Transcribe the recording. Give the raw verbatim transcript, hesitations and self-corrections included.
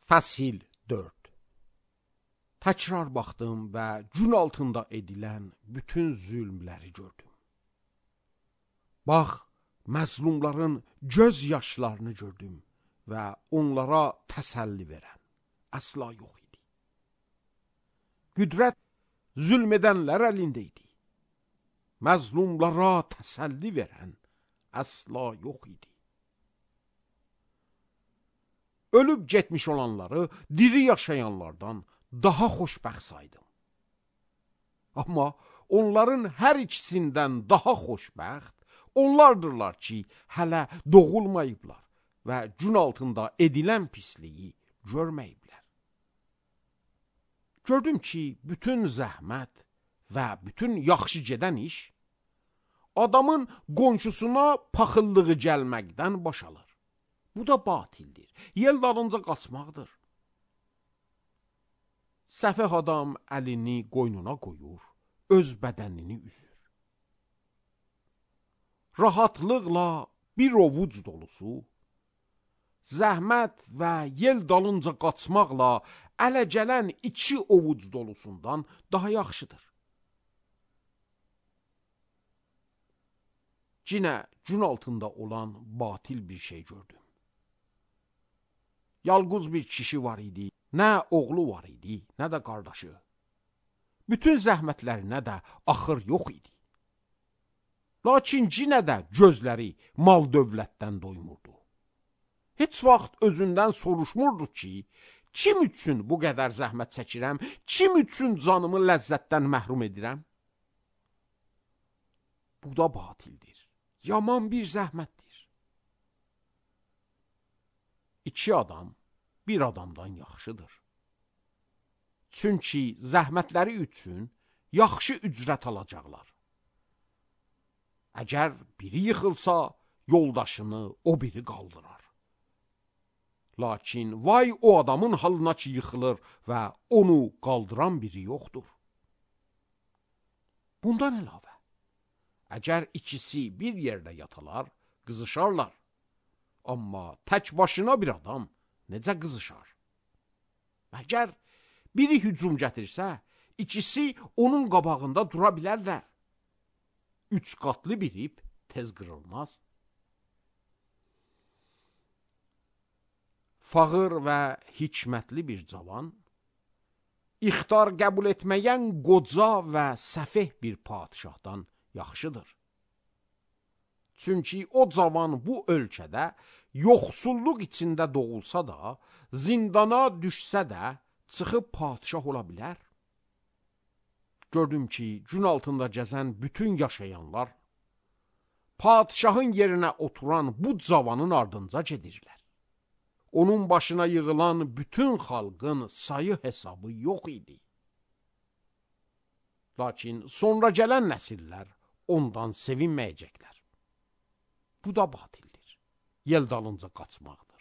Fəsil dörd. Təkrar baxdım və gün altında edilən bütün zülmləri gördüm. Bax, məzlumların göz yaşlarını gördüm və onlara təsəlli verən əsla yox idi. Qüdrət zülm edənlər əlində idi. Məzlumlara təsəlli verən əsla yox idi. Ölüb getmiş olanları diri yaşayanlardan daha xoşbəxt saydım. Amma onların hər ikisindən daha xoşbəxt onlardırlar ki, hələ doğulmayıblar və gün altında edilən pisliyi görməyiblər. Gördüm ki, bütün zəhmət və bütün yaxşı gedən iş adamın qonşusuna paxıllığı gəlməkdən başalır. Bu da batildir. Yel dalınca qaçmaqdır. Səfeh adam əlini qoynuna qoyur, öz bədənini üzür. Rahatlıqla bir ovuc dolusu, zəhmət və yel dalınca qaçmaqla ələ gələn iki ovuc dolusundan daha yaxşıdır. Cinə gün altında olan batil bir şey gördüm. Yalqız bir kişi var idi, nə oğlu var idi, nə də qardaşı. Bütün zəhmətlərinə də axır yox idi. Lakin cinə də gözləri mal dövlətdən doymurdu. Heç vaxt özündən soruşmurdu ki, kim üçün bu qədər zəhmət çəkirəm, kim üçün canımı ləzzətdən məhrum edirəm? Bu da batildir, yaman bir zəhmətdir. İki adam bir adamdan yaxşıdır. Çünki zəhmətləri üçün yaxşı ücrət alacaqlar. Əgər biri yıxılsa, yoldaşını o biri qaldırar. Lakin vay o adamın halına ki yıxılır və onu qaldıran biri yoxdur. Bundan əlavə, əgər ikisi bir yerdə yatalar, qızışarlar. Amma tək başına bir adam necə qızışar? Əgər biri hücum gətirsə, ikisi onun qabağında dura bilərlər. Üç qatlı bir ip tez qırılmaz. Fağır və hikmətli bir cavan, ixtar qəbul etməyən qoca və səfeh bir padişahdan yaxşıdır. Çünki o cavan bu ölkədə yoxsulluq içində doğulsa da, zindana düşsə də, çıxıb padişah ola bilər. Gördüm ki, gün altında gəzən bütün yaşayanlar, padişahın yerinə oturan bu cavanın ardınca gedirlər. Onun başına yığılan bütün xalqın sayı hesabı yox idi. Lakin sonra gələn nəsillər ondan sevinməyəcəklər. Bu da batildir. Yel dalınca qaçmaqdır.